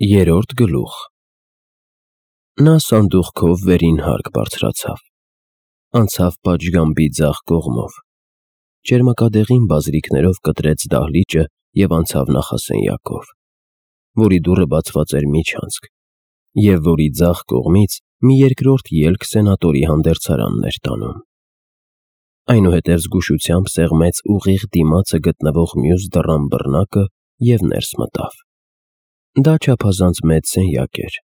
Երրորդ գլուխ։ Նա սանդուղքով վերին հարկ բարձրացավ, անցավ պատշգամբի ձախ կողմով, ճերմակադեղին բազրիքներով կտրեց դահլիճը և անցավ նախասենյակով, որի դուռը բացված էր միջանցք, և որի ձախ կողմից մի երկրորդ ելք սենատորի հանդերձարանն էր տանում։ Այնուհետև զգուշությամբ սեղմեց ուղիղ դիմացը գտնվող մյուս դռան բռնակը և ներս մտավ։ Դա չափազանց մեծ սենյակ էր,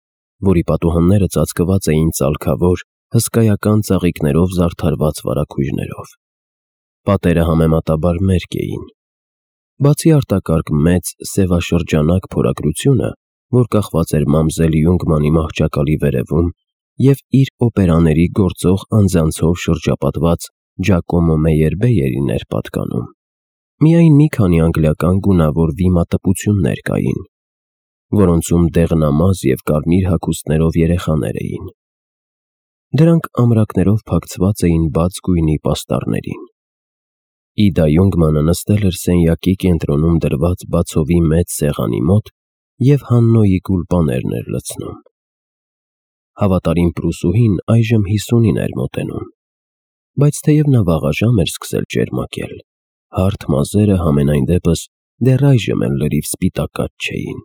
որի պատուհանները ծածկված էին ծալքավոր, հսկայական ծաղիկներով զարդարված վարագույրներով։ Պատերը համեմատաբար մերկ էին։ Բացի արտակարգ մեծ, սևաշրջանակ փորագրությունը, որ կախված էր մամզել Յունգմանի մահճակալի վերևում, և իր օպերաների գործող անձանցով շրջապատված Ջակոմո Մեյերբեյերին էր պատկանում, միայն մի քանի անգլիական գունավոր վիմատպություններ կային, որոնցում դեղնամազ և կարմիր հագուստներով երեխաներ էին։ Դրանք ամրակներով փակցված էին բաց գույնի պաստառներին։ Իդա Յունգմանը նստել էր սենյակի կենտրոնում դրված բացովի մեծ սեղանի մոտ և Հաննոյի գուլպաներն էր լցնում։ Հավատարիմ պրուսուհին այժմ 50-ին էր մոտենում, բայց թեև նա վաղաժամ էր սկսել ճերմակել, հարթ մազերը համենայն դեպս դեռ այժմ էլ լրիվ սպիտակած չէին,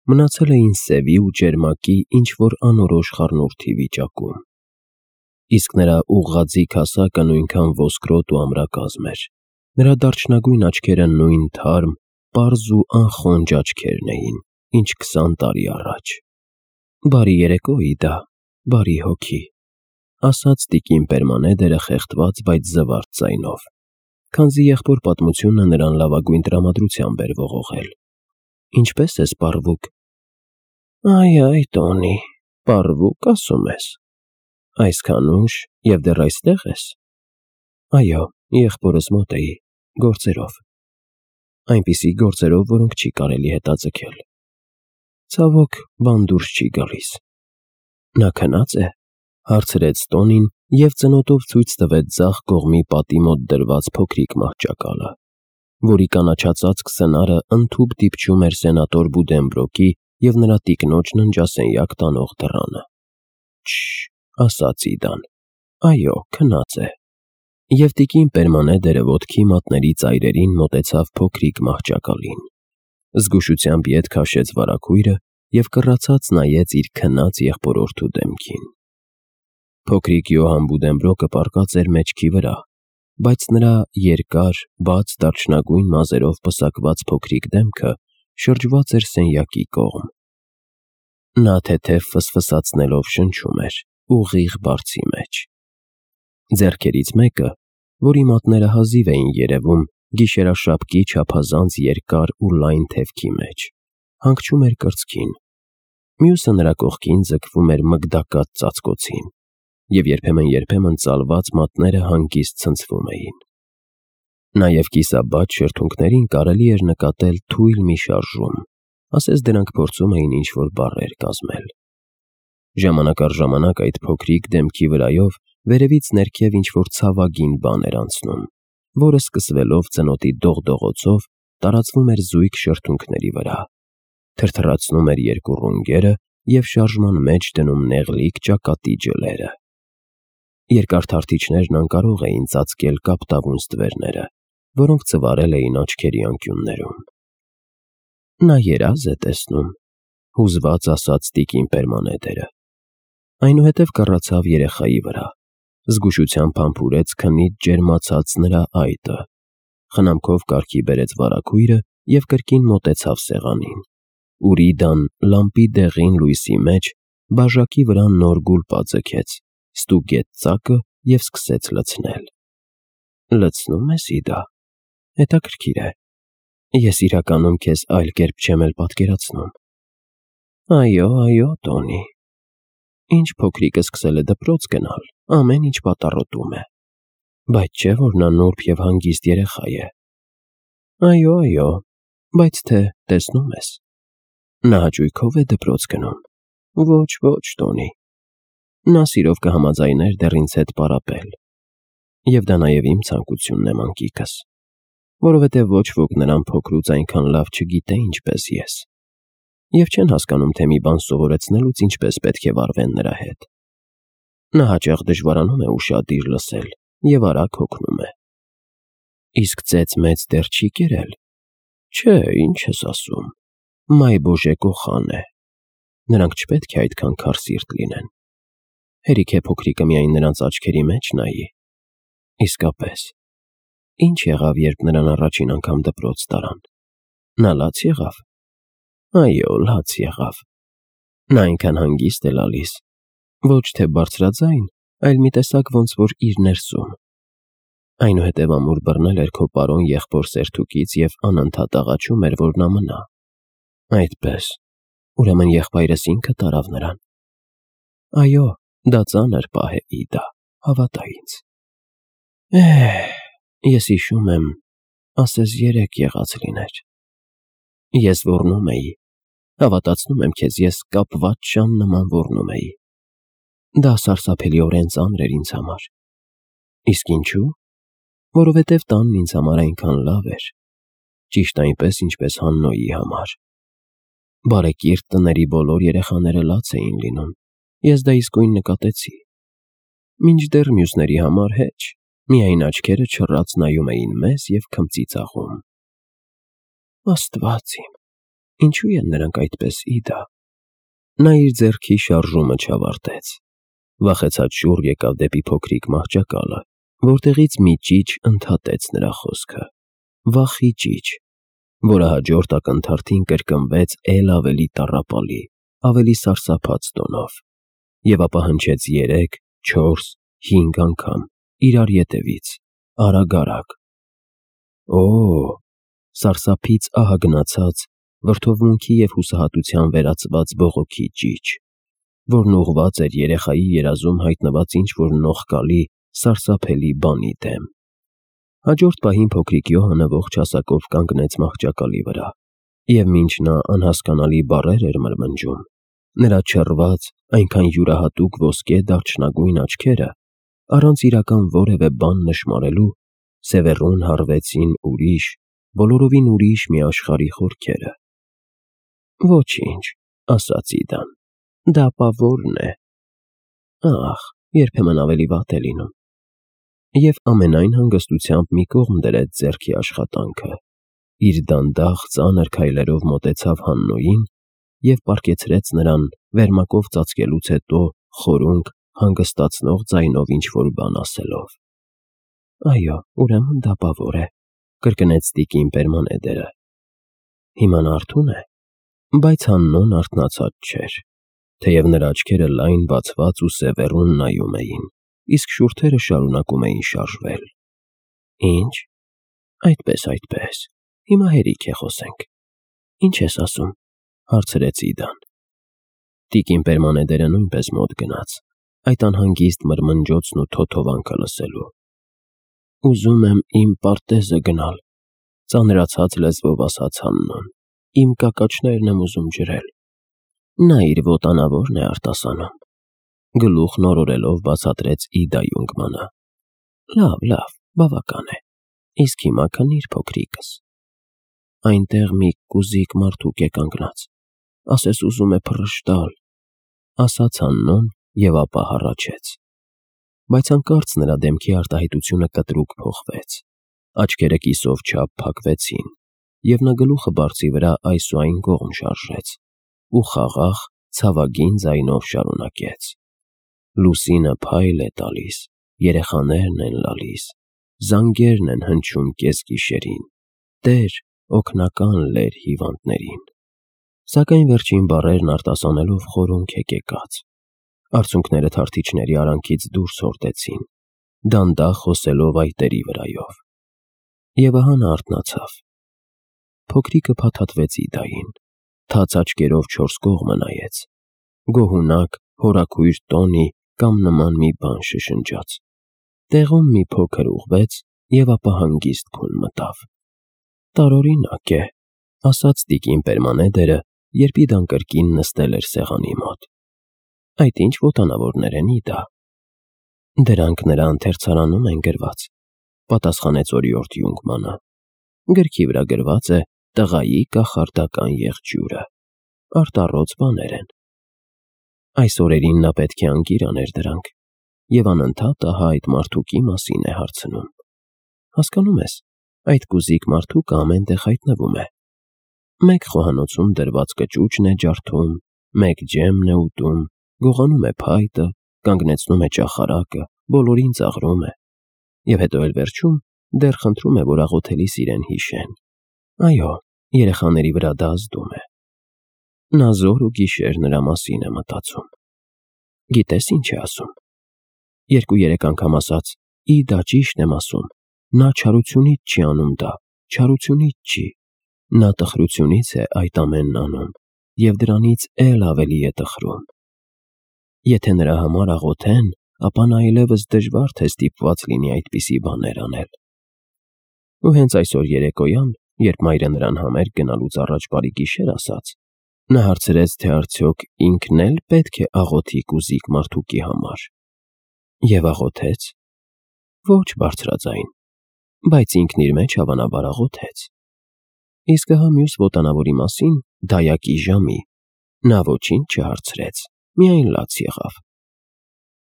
մնացել էին սևի ու ճերմակի ինչ-որ անորոշ խառնուրդի վիճակում։ Իսկ նրա ուղղաձիգ հասակը նույնքան ոսկրոտ ու ամրակազմ էր, նրա դարչնագույն աչքերը նույն թարմ, պարզ ու անխոնջ աչքերն էին, ինչ 20 տարի առաջ։ «Բարի երեկո, Իդա, բարի հոգի», ասաց տիկին Պերմանեդերը խեղդված, բայց զվարթ ձայնով, քանզի եղբոր պատմությունը նրան լավագույն տրամադրությամբ էր ողողել։ «Ինչպե՞ս ես, պառվուկ»։ «Այ, Տոնի, պառվուկ ասում ես։ Այսքան ուշ և դեռ այստեղ ես»։ «Այո, եղբորս մոտ էի, գործերով։ Այնպիսի գործերով, որոնք չի կարելի հետաձգել։ Ցավոք, բան դուրս չի գալիս»։ «Նա քնա՞ծ է», հարցրեց Տոնին և ծնոտով ցույց տվեց ձախ կողմի պատի մոտ դրված փոքրիկ մահճակալը, որի կանաչածածկ սնարը ընդհուպ դիպչում էր սենատոր Բուդենբրոկի և նրա տիկնոջ ննջասենյակ տանող դռանը։ «Չը՛շ», ասաց Իդան, «այո, քնած է»։ Եվ տիկին Պերմանեդերը ոտքի մատների ծայրերին մոտեցավ փոքրիկ մահճակալին, զգուշությամբ ետ քաշեց վարագույրը և կռացած նայեց իր քնած եղբորորդու դեմքին։ Փոքրիկ Յոհան Բուդենբրոկը պառկած էր մեջքի վրա, բայց նրա երկար, բաց դարչնագույն մազերով պսակված փոքրիկ դեմքը շրջված էր սենյակի կողմ։ Նա թեթև ֆսֆսացնելով շնչում էր ուղիղ բարձի մեջ։ Ձեռքերից մեկը, որի մատները հազիվ էին երևում գիշերաշապկի չափազանց երկար ու լայն թևքի մեջ, հանգչում էր կրծքին, մյուսը նրա կողքին ձգվում էր մգդակած ծածկոցին, և երբեմն ծալված մատները հանգիստ ցնցվում էին։ Նաև կիսաբաց շրթունքներին կարելի էր նկատել թույլ մի շարժում, ասես դրանք փորձում էին ինչ-որ բառեր կազմել։ Ժամանակ առ ժամանակ այդ փոքրիկ դեմքի վրայով վերևից ներքև ինչ-որ ցավագին բան էր անցնում, որը սկսվելով ծնոտի դողդողոցով տարածվում էր զույգ շրթունքների վրա, թրթռացնում էր երկու ռունգերը և շարժման մեջ դնում նեղլիկ ճակատի ջլերը։ Երկար թարթիչներն անկարող էին ծածկել կապտավուն ստվերները, որոնք ծվարել էին աչքերի անկյուններում։ «Նա երազ է տեսնում», հուզված ասաց տիկին Պերմանեդերը։ Այնուհետև կռացավ երեխայի վրա, զգուշությամբ համբուրեց քնից ջերմացած նրա այտը, խնամքով կարգի բերեց վարագույրը և կրկին մոտեցավ սեղանին, ուր Իդան լամպի դեղին լույսի մեջ բաժակի վրա նոր գուլպա ձգեց, ստուգեց ծակը և սկսեց լցնել։ «Լցնո՞ւմ ես, Իդա, հետաքրքիր է։ Ես իրականում քեզ այլ կերպ չեմ էլ պատկերացնում»։ «Այո, Տոնի, ինչ փոքրիկը սկսել է դպրոց գնալ, ամեն ինչ պատառոտում է, բայց չէ՞ որ նա նուրբ և հանգիստ երեխա է»։ «Այո, բայց թե տեսնում ես, նա հաճույքով է դպրոց գնում»։ «Ոչ, Տոնի, նա սիրով կհամաձայներ դեռ ինձ հետ պարապել, և դա նաև իմ ցանկությունն է, մանկիկս, որովհետև ոչ ոք նրան փոքրուց այնքան լավ չգիտե, ինչպես ես։ և չեն հասկանում, թե մի բան սովորեցնելուց ինչպես պետք է վարվեն նրա հետ։ Նա հաճախ դժվարանում է ուշադիր լսել և արագ հոգնում է։ Իսկ ծեծ-մեծ դեռ չի կերել։ Չէ, ինչ ես ասում, մայ բոժե կոխան է։ Նրանք չպետք է այդքան քարսիրտ լինեն։ Հերիք է փոքրիկը միայն նրանց աչքերի մեջ նայի։ Իսկապես, ինչ եղավ, երբ նրան առաջին անգամ դպրոց տարան։ Նա լաց եղավ։ Այո, լաց եղավ։ Նա այնքան հանգիստ է լալիս, ոչ թե բարձրաձայն, այլ մի տեսակ ոնց որ իր ներսում։ Այնուհետև ամուր բռնել էր քո պարոն եղբոր սերթուկից և անընդհատ աղաչում էր, որ նա մնա։ Այդպես, ուրեմն եղբայրս ինքը տարավ նրան։ Այո, դա ծանր պահ է, Իդա, հավատա ինձ։ Ես հիշում եմ, ասես երեկ եղած լիներ։ Ես ոռնում էի, հավատացնում եմ քեզ, ես կապված շան նման ոռնում էի։ Դա սարսափելիորեն ծանր էր ինձ համար։ Իսկ ինչու՞։ Որովհետև տանն ինձ համար այնքան լավ էր, ճիշտ այնպես, ինչպես Հաննոյի համար։ Բարեկիրթ տների բոլոր երեխաները լաց էին լինում, ես դա իսկույն նկատեցի։ Մինչդեռ մյուսների համար հեչ, միայն աչքերը չռած նայում էին մեզ և քմծիծաղում։ Աստված իմ, ինչու են նրանք այդպես, Իդա։ Նա իր ձեռքի շարժումը չավարտեց։ Վախեցած շուռ եկավ դեպի փոքրիկ մահճակալը, որտեղից մի ճիչ ընդհատեց նրա խոսքը։ Վախի ճիչ, որը հաջորդ ակնթարթին կրկնվեց էլ ավելի տառապալի, ավելի սարսափած տոնով, և ապա հնչեց 3, 4, 5 անգամ, իրար ետևից, արագ-արագ։ Օ՜, սարսափից ահագնացած, վրդովմունքի և հուսահատության վերածված բողոքի ճիչ, որն ուղղված էր երեխայի երազում հայտնված ինչ-որ նողկալի, սարսափելի բանի դեմ։ Հաջորդ պահին փոքրիկ Յոհանը ողջ հասակով կանգնեց մահճակալի վրա, և մինչ նա անհասկանալի բառեր էր մրմնջում, նրա չռված, այնքան յուրահատուկ ոսկե դարչնագույն աչքերը, առանց իրական որևէ բան նշմարելու, սևեռուն հառվեցին ուրիշ, բոլորովին ուրիշ մի աշխարհի խորքերը։ Ոչինչ, ասաց Իդան, դա պավորն է։ Ախ, երբեմն ավելի վատ է լինում։ Եվ ամենայն հանգստությամբ մի կողմ դրեց ձեռքի աշխատանքը, իր դանդաղ ծանր քայլերով մոտեցավ Հաննոյին և պառկեցրեց նրան, վերմակով ծածկելուց հետո խորունկ, հանգստացնող ձայնով ինչ-որ բան ասելով։ Այո, ուրեմն դա պավոր է, կրկնեց տիկին Պերմանեդերը։ Հիմա նա արթուն է, բայց Հաննոն արթնացած չէր, թեև նրա աչքերը լայն բացված ու սևեռուն նայում էին, իսկ շուրթերը շարունակում էին շարժվել։ Ինչ։ Այդպես, հիմա հերիք է խոսենք։ Ինչ ես ասում, հարցրեց Իդան։ Տիկին Պերմանեդերը նույնպես մոտ գնաց, այդ անհանգիստ մրմնջոցն ու թոթովանքը լսելու։ Ուզում եմ իմ պարտեզը գնալ, ծանրացած լեզվով ասաց Հաննոն, իմ կակաչներն եմ ուզում ջրել։ Նա իր ոտանավորն է արտասանում։ Գլուխն օրորելով բացատրեց Իդա Յունգմանը։ Լավ, բավական է։ Իսկ հիմա քնիր, փոքրիկս։ Այնտեղ մի կուզիկ մարդուկ է կանգնած, ասես ուզում է փռշտալ, ասաց Հաննոն և ապա հառաչեց։ Բայց հանկարծ նրա դեմքի արտահայտությունը կտրուկ փոխվեց, աչքերը կիսով չափ փակվեցին, և նա գլուխը բարձի վրա այս ու այն կողմ շարժեց ու խաղաղ, ցավագին ձայնով շարունակեց. Լուսինը փայլ է տալիս, երեխաներն են լալիս, զանգերն են հնչում կեսգիշերին, Տեր, օգնական լեր հիվանդներին։ Սակայն վերջին բառերն արտասանելով խորունկ է կեկած։ Արցունքները թարթիչների արանքից դուրս հորդեցին, դանդաղ խոսելով այտերի վրայով։ Եվ ահա նա արթնացավ։ Փոքրիկը փաթաթվեց Իդային, թաց աչքերով չորս կողմը նայեց, գոհունակ, հորաքույր տոնի կամ նման մի բան շշնջաց, տեղում մի փոքր ուղղվեց և ապա հանգիստ քուն մտավ։ Տարօրինակ է, ասաց տիկին Պերմանեդերը, երբ Իդան կրկին նստել էր սեղանի մոտ։ Այդ ինչ ոտանավորներ են, Իդա։ Դրանք նրա ընթերցարանում են գրված, պատասխանեց օրիորդ Յունգմանը։ Գրքի վրա գրված է տղայի կախարդական եղջյուրը։ արտառոց բաներ են։ Այս օրերին նա պետք է անկիր աներ դրանք, և անընդհատ ահա այդ մարդուկի մասին է հարցնում։ Հասկանում ես, այդ կուզիկ մարդուկը ամեն տեղ հայտնվում է։ Մեկ խոհանոցում դրված կճուճն է ջարդում, մեկ ջեմն է ուտում, գողանում է փայտը, կանգնեցնում է ճախարակը, բոլորին ծաղրում է, և հետո էլ վերջում դեռ խնդրում է, որ աղոթելիս իրեն հիշեն։ Այո, երեխաների վրա դա ազդում է։ Նա զոր ու գիշեր նրա մասին է մտածում։ Գիտես ինչ է ասում։ 2-3 անգամ ասաց. «Ի դա ճիշտ եմ ասում, նա չարությունից չի անում դա, չարությունից չի, նա տխրությունից է այդ ամենն անում, և դրանից էլ ավելի է տխրում»։ Եթե նրա համար աղոթեն, ապա նա այլևս դժվար թե ստիպված լինի այդպիսի բաներ անել։ Ու հենց այսօր երեկոյան, երբ մայրը նրան համերգ գնալուց առաջ բարի գիշեր ասաց, նա հարցրեց, թե արդյոք ինքն էլ պետք է աղոթի կուզիկ մարդուկի համար։ Եվ աղոթեց։ Ոչ բարձրաձայն, բայց ինքն իր մեջ հավանաբար աղոթեց։ Իսկ ահա մյուս ոտանավորի մասին, դայակի ժամի, նա ոչինչ չհարցրեց, միայն լաց եղավ։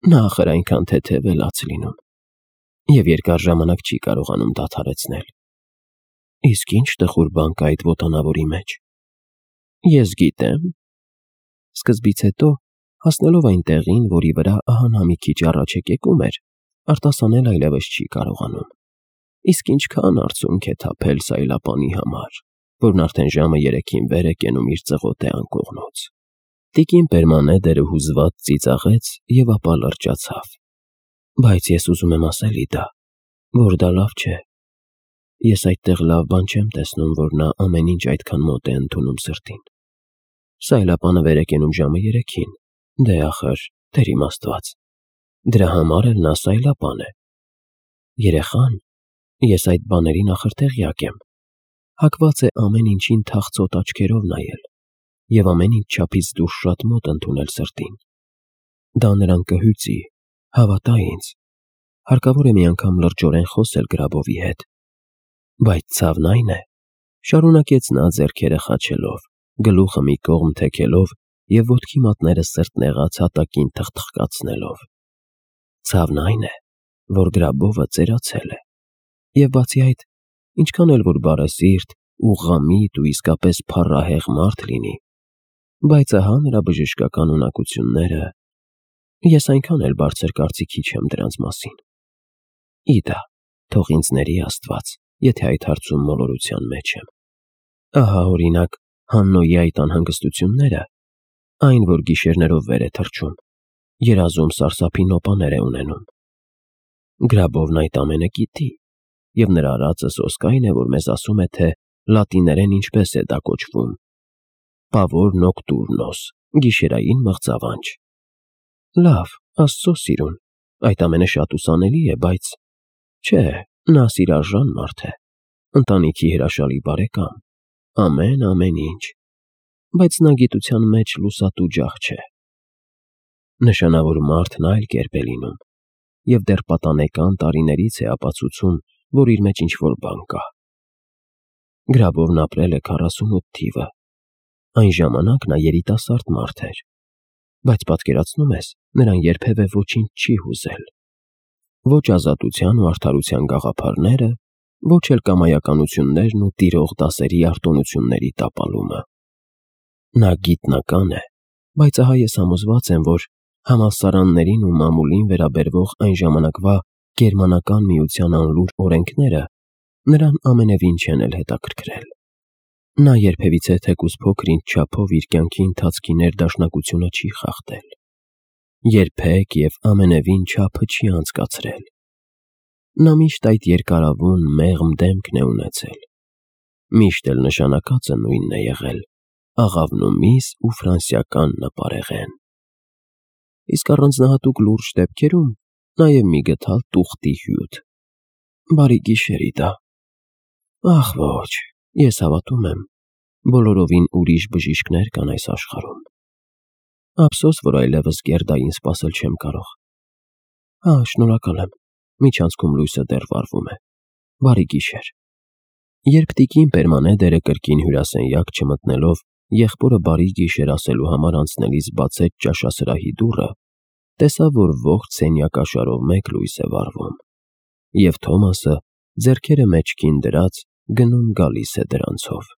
Նա ախր այնքան թեթև է լաց լինում, և երկար ժամանակ չի կարողանում դադարեցնել։ Իսկ ինչ տխուր բան կա այդ ոտանավորի մեջ։ Ես գիտեմ։ Սկզբից հետո, հասնելով այն տեղին, որի վրա ահա նա մի քիչ առաջ եկեկում էր, արտասանել այլևս չի կարողանում։ Իսկ ինչքան արցունք է թափել սայլապանի համար, որն արդեն ժամը 3-ին վեր է կենում իր ծղոտե անկողնուց։ Տիկին Պերմանեդերը հուզված ծիծաղեց և ապա լրջացավ։ Բայց ես ուզում եմ ասել Իդա, որ դա լավ չէ։ Ես այդտեղ լավ բան չեմ տեսնում, որ նա ամեն ինչ այդքան մոտ է ընդունում սրտին։ Սայլապանը վեր է կենում ժամը 3-ին, դե ախր, Տեր իմ Աստված, դրա համար էլ նա սայլապան է։ Երեխան, ես այդ բաներին ախր տեղյակ եմ, հակված է ամեն ինչին թախծոտ աչքերով նայել և ամեն ինչ չափից դուրս շատ մոտ ընդունել սրտին։ Դա նրան կհյուծի, հավատա ինձ, հարկավոր է մի անգամ լրջորեն խոսել Գրաբովի հետ։ Բայց ցավն այն է, շարունակեց նա ձեռքերը խաչելով, գլուխը մի կողմ թեքելով և ոտքի մատները սրտնեղած հատակին թխթխկացնելով։ Ցավն այն է, որ Գրաբովը ծերացել է, և բացի այդ, ինչքան էլ որ բարեսիրտ ու ղամիտ ու իսկապես փառահեղ մարդ լինի, բայց ահա նրա բժշկական ունակությունները, ես այնքան էլ բարձր կարծիքի չեմ դրանց մասին։ Իդա, թող ինձ ների Աստված, եթե այդ հարցում մոլորության մեջ եմ։ Ահա օրինակ Հաննոյի այդ անհանգստությունները, այն, որ գիշերներով վեր է թռչում, երազում սարսափի նոպաներ է ունենում։ Գրաբովն այդ ամենը գիտի, և նրա արածը սոսկ այն է, որ մեզ ասում է, թե լատիներեն ինչպես է դա կոչվում. Pavor nocturnos, գիշերային մղձավանջ։ Լավ, Աստծո սիրուն, այդ ամենը շատ ուսանելի է, բայց չէ, նա սիրարժան մարդ է, ընտանիքի հրաշալի բարեկամ, ամեն ինչ, բայց նա գիտության մեջ լուսատու ջահ չէ։ Նշանավոր մարդն այլ կերպ է լինում, և դեռ պատանեկան տարիներից է ապացուցում, որ իր մեջ ինչ-որ բան կա։ Գրաբովն ապրել է 48 թիվը, այն ժամանակ նա երիտասարդ մարդ էր, բայց պատկերացնում ես, նրան երբևէ ոչինչ չի հուզել։ Ոչ ազատության ու արդարության գաղափարները, ոչ էլ կամայականություններն ու տիրող դասերի արտոնությունների տապալումը։ Նա գիտնական է, բայց ահա ես համոզված եմ, որ համալսարաններին ու մամուլին վերաբերվող այն ժամանակվա գերմանական միության անլուր օրենքները նրան ամենևին չեն էլ հետաքրքրել։ Նա երբևիցե թեկուզ փոքր-ինչ չափով իր կյանքի ընթացքի ներդաշնակությունը չի խախտել։ Երբեք և ամենևին չափը չի անցկացրել։ Նա միշտ այդ երկարավուն, մեղմ դեմքն է ունեցել։ Միշտ էլ նշանակածը նույնն է եղել՝ աղավնումից ու ֆրանսիական նպարեղեն։ Իսկ առանձնահատուկ լուրջ դեպքերում նաև մի գդալ տուղտի հյութ։ Բարի գիշեր, Իդա։ Ախ ոչ, ես հավատում եմ, բոլորովին ուրիշ բժիշկներ կան այս աշխարհում։ Ափսոս, որ այլևս Գերդային սպասել չեմ կարող։ Շնորհակալ եմ, միջանցքում լույսը դեռ վառվում է։ Բարի գիշեր։ Երբ տիկին Պերմանեդերը կրկին հյուրասենյակ չմտնելով եղբորը բարի գիշեր ասելու համար անցնելիս բացեց ճաշասրահի դուռը, տեսավ, որ ողջ սենյակաշարով մեկ լույս է վառվում, և Թոմասը, ձեռքերը մեջքին դրած, գնում գալիս է դրանցով։